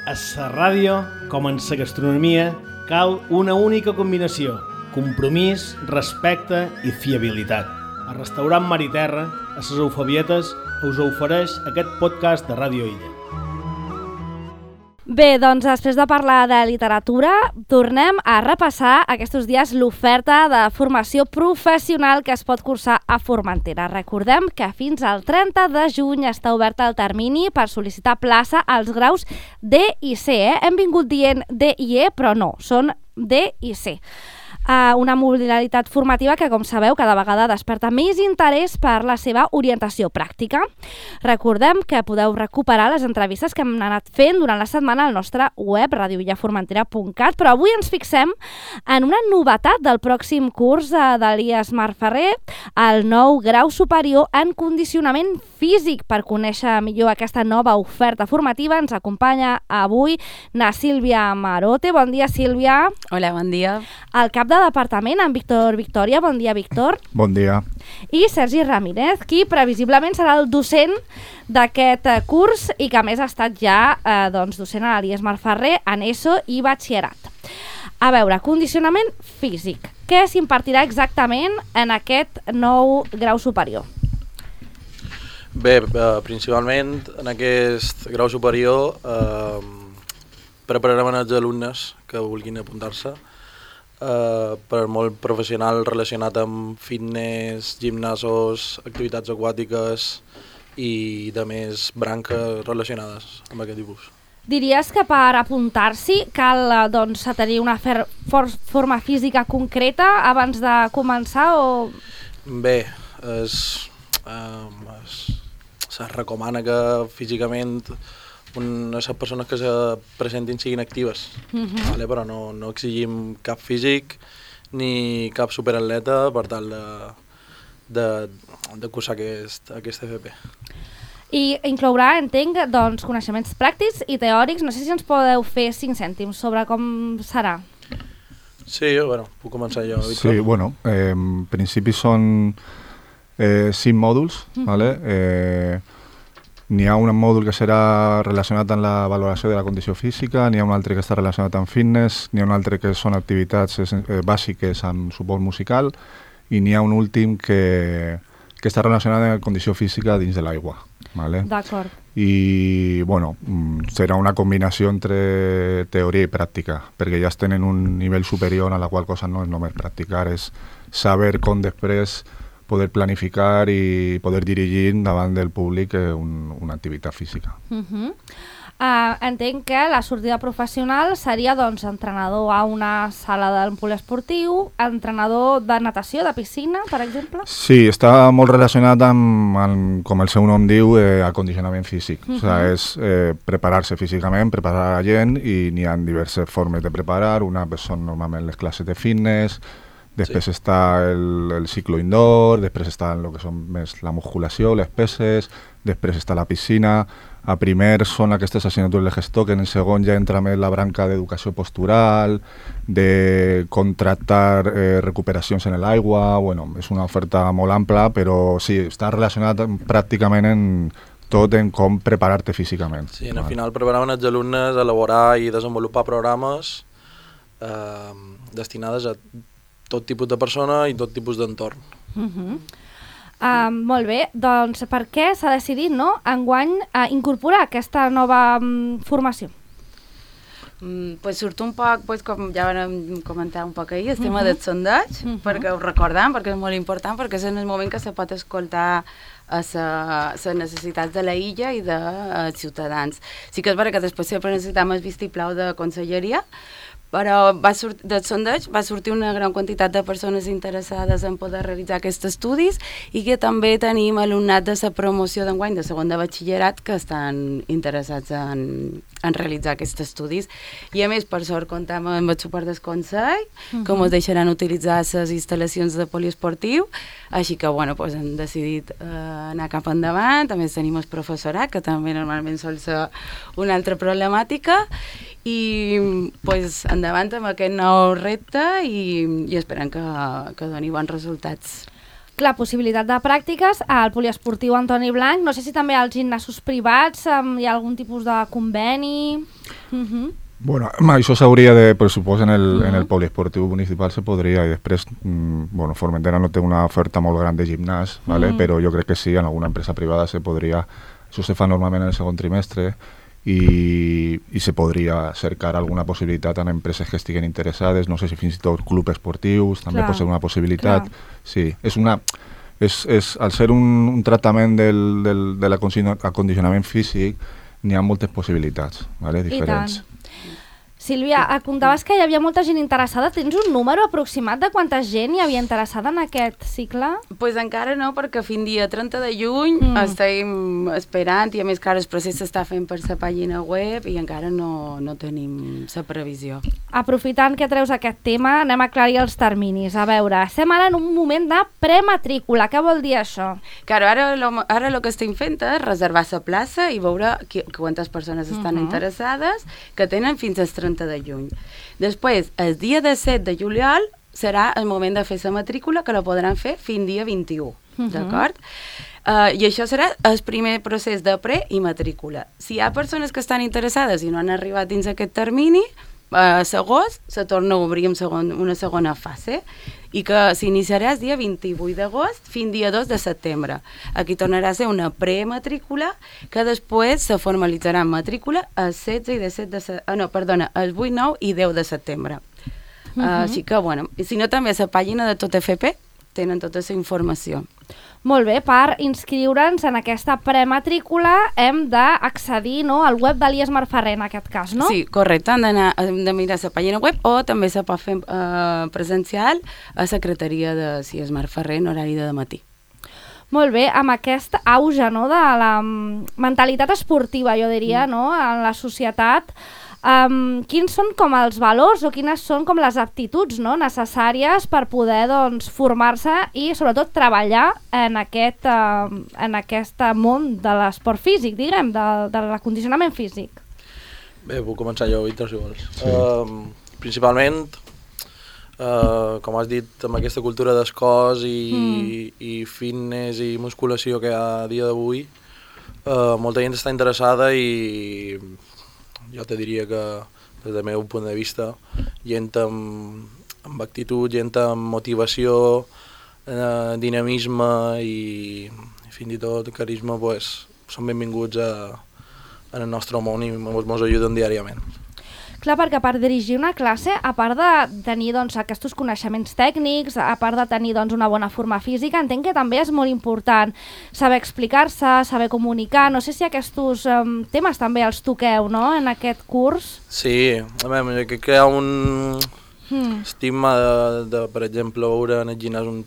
A la ràdio, com en la gastronomia, cal una única combinació: compromís, respecte i fiabilitat. El restaurant Mar i Terra, a les Eufabietes, us ofereix aquest podcast de Ràdio Illa. Bé, doncs després de parlar de literatura, tornem a repassar aquests dies l'oferta de formació professional que es pot cursar a Formentera. Recordem que fins al 30 de juny està obert el termini per sol·licitar plaça als graus D i C. Hem vingut dient D i E, però no, són D i C. Una modalitat formativa que, com sabeu, cada vegada desperta més interès per la seva orientació pràctica. Recordem que podeu recuperar les entrevistes que hem anat fent durant la setmana al nostre web radioillaformentera.cat, però avui ens fixem en una novetat del pròxim curs d'Elies Marferrer, el nou grau superior en condicionament físic. Per conèixer millor aquesta nova oferta formativa ens acompanya avui na Sílvia Marote. Bon dia, Sílvia. Hola, bon dia. El cap de departament, en Víctor Victòria. Bon dia, Víctor. Bon dia. I Sergi Ramírez, qui previsiblement serà el docent d'aquest curs i que a més ha estat ja docent a l'Elies Marferrer en ESO i batxillerat. A veure, condicionament físic. Què s'impartirà exactament en aquest nou grau superior? Bé, principalment en aquest grau superior prepararem els alumnes que vulguin apuntar-se per molt professional relacionat amb fitness, gimnasos, activitats aquàtiques i de més branques relacionades amb aquest tipus. Diries que per apuntar-s'hi cal tenir una forma física concreta abans de començar o...? Bé, se recomana que físicament les persones que se presentin siguin actives, vale? Però no exigim cap físic ni cap superatleta per tal de cursar aquest FP. I inclourà, entenc, coneixements pràctics i teòrics. No sé si ens podeu fer 5 cèntims sobre com serà. Sí, bueno, puc començar jo, Víctor. Sí, bueno, en principi són 5 mòduls, ¿vale? N'hi ha un mòdul que serà relacionat amb la valoració de la condició física, n'hi ha un altre que està relacionat amb fitness, n'hi ha un altre que són activitats bàsiques amb suport musical i n'hi ha un últim que està relacionat amb la condició física dins de l'aigua. ¿Vale? D'acord. I bueno, serà una combinació entre teoria i pràctica, perquè ja tenen un nivell superior a la qual cosa no és només practicar, és saber com després poder planificar i poder dirigir davant del públic una activitat física. Entenc que la sortida professional seria entrenador a una sala del poliesportiu, entrenador de natació, de piscina, per exemple? Sí, està molt relacionat amb com el seu nom diu, acondicionament físic. O sigui, és preparar-se físicament, preparar la gent, i n'hi ha diverses formes de preparar. Una són normalment les classes de fitness, després està el ciclo indoor, després està el que són més la musculació, les peses, després està la piscina. A primer són aquestes assignatures de gestor, que en el segon ja entra més la branca d'educació postural, de contractar recuperacions en l'aigua. Bueno, és una oferta molt ampla, però sí, està relacionat pràcticament en com preparar-te físicament. Sí, al final preparaven els alumnes a elaborar i desenvolupar programes destinades a tot tipus de persona i tot tipus d'entorn. Molt bé, doncs per què s'ha decidit enguany incorporar aquesta nova formació? Pues surt un poc, com ja vam comentar un poc ahir, el tema del sondeig, perquè ho recordem, perquè és molt important, perquè és en el moment que se pot escoltar les necessitats de la illa i dels ciutadans. Sí que és vera que després sempre necessitem el vistiplau de conselleria, però del sondeig va sortir una gran quantitat de persones interessades en poder realitzar aquests estudis i que també tenim alumnat de la promoció d'enguany de segon de batxillerat que estan interessats en realitzar aquests estudis. I a més, per sort, comptem amb el suport del Consell, com es deixaran utilitzar les instal·lacions de poliesportiu, així que hem decidit anar cap endavant. També tenim el professorat, que també normalment sol ser una altra problemàtica, i endavant amb aquest nou repte i esperem que doni bons resultats. Clar, possibilitat de pràctiques al poliesportiu Antoni Blanc. No sé si també als gimnasos privats hi ha algun tipus de conveni. Bueno, això s'hauria de, per supòs, en el poliesportiu municipal se podria, i després, bueno, Formentera no té una oferta molt gran de gimnàs, ¿vale? Però jo crec que sí, en alguna empresa privada se podria, això se fa normalment en el segon trimestre, i se podria cercar alguna possibilitat en empreses que estiguen interessades, no sé si fins i tot clubs esportius, també pot ser una possibilitat. Sí, al ser un tractament de l'acondicionament físic, n'hi ha moltes possibilitats, ¿vale? Diferents. Sílvia, contaves que hi havia molta gent interessada. Tens un número aproximat de quanta gent hi havia interessada en aquest cicle? Pues encara no, perquè fins dia 30 de juny estem esperant, i a més que ara el procés s'està fent per la pàgina web i encara no tenim la previsió. Aprofitant que treus aquest tema, anem a aclarir els terminis. A veure, estem ara en un moment de prematrícula. Què vol dir això? Claro, ara el que estem fent és reservar la plaça i veure quantes persones estan interessades, que tenen fins al 30 de juny. Després, el dia 17 de juliol serà el moment de fer la matrícula, que la podran fer fins dia 21, d'acord? I això serà el primer procés de pre i matrícula. Si hi ha persones que estan interessades i no han arribat dins aquest termini, a l'agost se torna a obrir una segona fase, i que s'iniciarà el dia 28 d'agost fins dia 2 de setembre. Aquí tornarà a ser una prematrícula que després se formalitzarà en matrícula el 16 i 17 de el 8, 9 i 10 de setembre. Així que, bueno, i si no, també a la pàgina de Tot FP tenen tota la informació. Molt bé, per inscriure'ns en aquesta prematrícula hem d'accedir, no, al web de l'IES Marferrer, en aquest cas, no? Sí, correcte, hem de mirar la pàgina web o també se pot fer presencial a secretaria de l'IES Marferrer en horari de matí. Molt bé, amb aquest auge, no, de la mentalitat esportiva, jo diria, no, en la societat, quins són com els valors o quines són com les aptituds, no, necessàries per poder, doncs, formar-se i sobretot treballar en aquest món de l'esport físic, diguem, de l'acondicionament físic? Bé, puc començar jo, Víctor, si vols. Sí. Principalment, com has dit, amb aquesta cultura d'escòs i fitness i musculació que hi ha a dia d'avui, molta gent està interessada i jo te diria que, des del meu punt de vista, gent amb actitud, gent amb motivació, dinamisme i fins i tot carisma, pues, són benvinguts en el nostre món i ens ajuden diàriament. Clar, perquè per dirigir una classe, a part de tenir, doncs, aquests coneixements tècnics, a part de tenir, doncs, una bona forma física, entenc que també és molt important saber explicar-se, saber comunicar. No sé si aquests temes també els toqueu, no?, en aquest curs. Sí, a veure, crec que hi ha un estigma de, per exemple, veure en el gimnàs un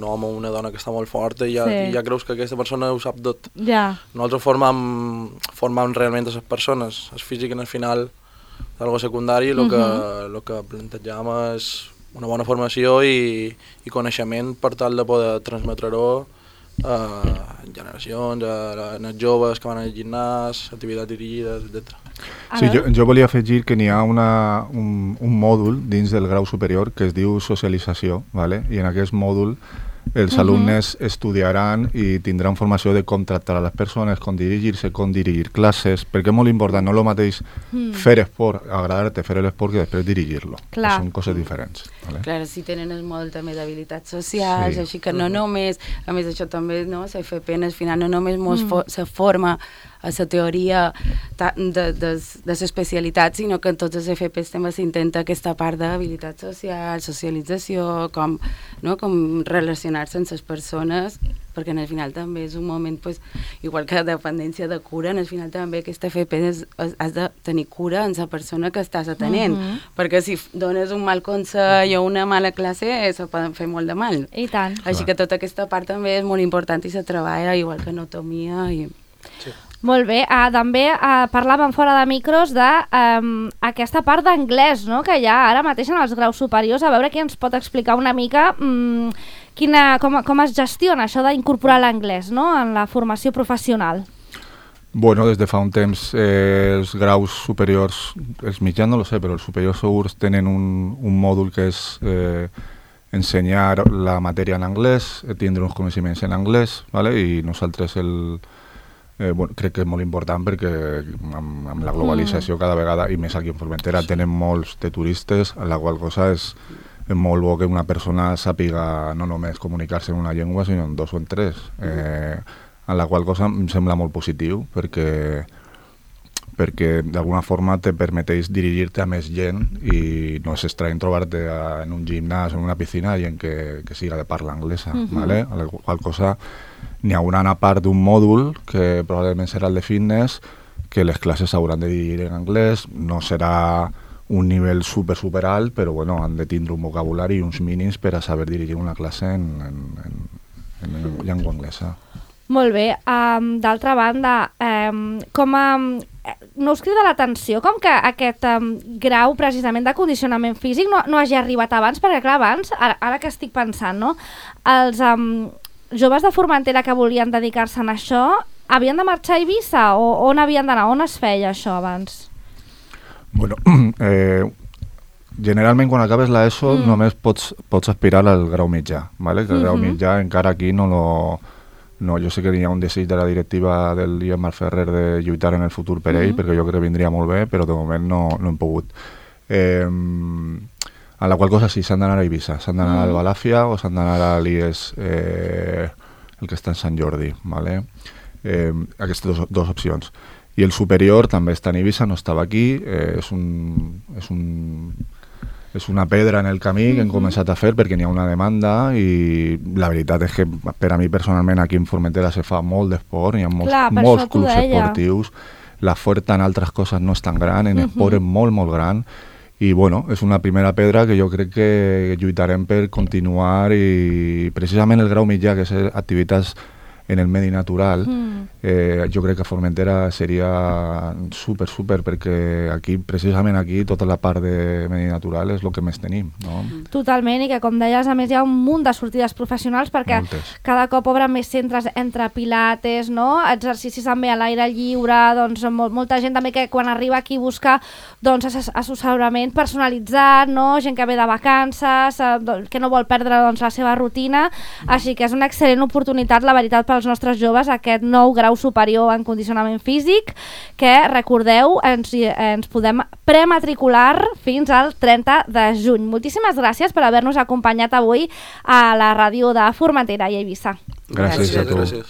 home o una dona que està molt forta i ja creus que aquesta persona ho sap tot. Ja. Nosaltres formam realment les persones. El físic, en el final, d'algo secundari, el que plantegem és una bona formació i coneixement per tal de poder transmetre-ho a generacions, a joves que van al gimnàs, activitats dirigides, etc. Sí, jo volia afegir que n'hi ha un mòdul dins del grau superior que es diu socialització, ¿vale? I en aquest mòdul els alumnes estudiaran i tindran formació de com tractar a les persones, com dirigir-se, com dirigir classes, perquè és molt important, no és el mateix fer esport, agradar-te fer l'esport que després dirigir-lo. Són coses diferents. Vale? Clar, si tenen el mòdul també d'habilitats socials, així que no només, a més això també, no, l'FP al final no només se forma a la teoria de l'especialitat, sinó que en tots els FPs també s'intenta aquesta part d'habilitat social, socialització, com relacionar-se amb les persones, perquè al final també és un moment, igual que la dependència de cura, al final també aquesta FP has de tenir cura en la persona que estàs atenent, perquè si dones un mal consell o una mala classe, se poden fer molt de mal. I tant. Així que tota aquesta part també és molt important i se treballa, igual que anatomia i... Sí. Molt bé, també parlàvem fora de micros d'aquesta part d'anglès, no?, que hi ha ara mateix en els graus superiors. A veure qui ens pot explicar una mica com es gestiona això d'incorporar l'anglès, no?, en la formació professional. Bueno, des de fa un temps els graus superiors, els mitjans no lo sé, però els superiors segurs tenen un mòdul que és ensenyar la matèria en anglès, tindre uns coneixements en anglès, ¿vale? I nosaltres crec que és molt important perquè amb la globalització cada vegada, i més aquí en Formentera, tenem molts de turistes, a la qual cosa és molt bo que una persona sàpiga no només comunicar-se en una llengua, sinó en 2 o en 3. A la qual cosa em sembla molt positiu perquè d'alguna forma te permeteix dirigir-te a més gent i no és estrany trobar-te en un gimnàs o en una piscina gent que siga de parla anglesa, ¿vale? A la qual cosa n'hi haurà una part d'un mòdul que probablement serà el de fitness, que les classes s'hauran de dirigir en anglès, no serà un nivell super alt, però bueno, han de tindre un vocabulari i uns mínims per a saber dirigir una classe en llengua anglesa. Molt bé. D'altra banda, no us crida l'atenció com que aquest grau precisament de condicionament físic no hagi arribat abans? Perquè clar, abans, ara que estic pensant, no? Els joves de Formentera que volien dedicar-se a això havien de marxar a Eivissa o on havien d'anar? On es feia això abans? Bueno, generalment quan acabes l'ESO només pots aspirar al grau mitjà, ¿vale? Que el grau mitjà encara aquí no, jo sé que hi ha un desig de la directiva del Guillem Ferrer de lluitar en el futur per ell, perquè jo crec que vindria molt bé, però de moment no hem pogut. A la qual cosa sí, s'han d'anar a Eivissa, s'han d'anar al Balàfia o s'han d'anar a l'IES, el que està en Sant Jordi, ¿vale? Aquestes dues opcions. I el superior també està en Eivissa, no estava aquí, és una pedra en el camí que hem començat a fer perquè n'hi ha una demanda i la veritat és que per a mi personalment aquí en Formentera se fa molt d'esport, hi ha molts clubs esportius, l'oferta en altres coses no és tan gran, en esport és molt gran i bueno, és una primera pedra que jo crec que lluitarem per continuar i precisament el grau mitjà, que és activitats en el medi natural, jo crec que a Formentera seria super perquè aquí, precisament aquí, tota la part de medi natural és el que més tenim, no? Totalment, i que com deies, a més hi ha un munt de sortides professionals perquè cada cop obren més centres entre pilates, no? Exercicis també a l'aire lliure, doncs molta gent també que quan arriba aquí busca doncs assessorament personalitzat, no? Gent que ve de vacances, que no vol perdre doncs, la seva rutina, així que és una excel·lent oportunitat, la veritat, pels nostres joves, aquest nou grau superior en condicionament físic, que, recordeu, ens podem prematricular fins al 30 de juny. Moltíssimes gràcies per haver-nos acompanyat avui a la ràdio de Formentera i Eivissa. Gràcies a tu.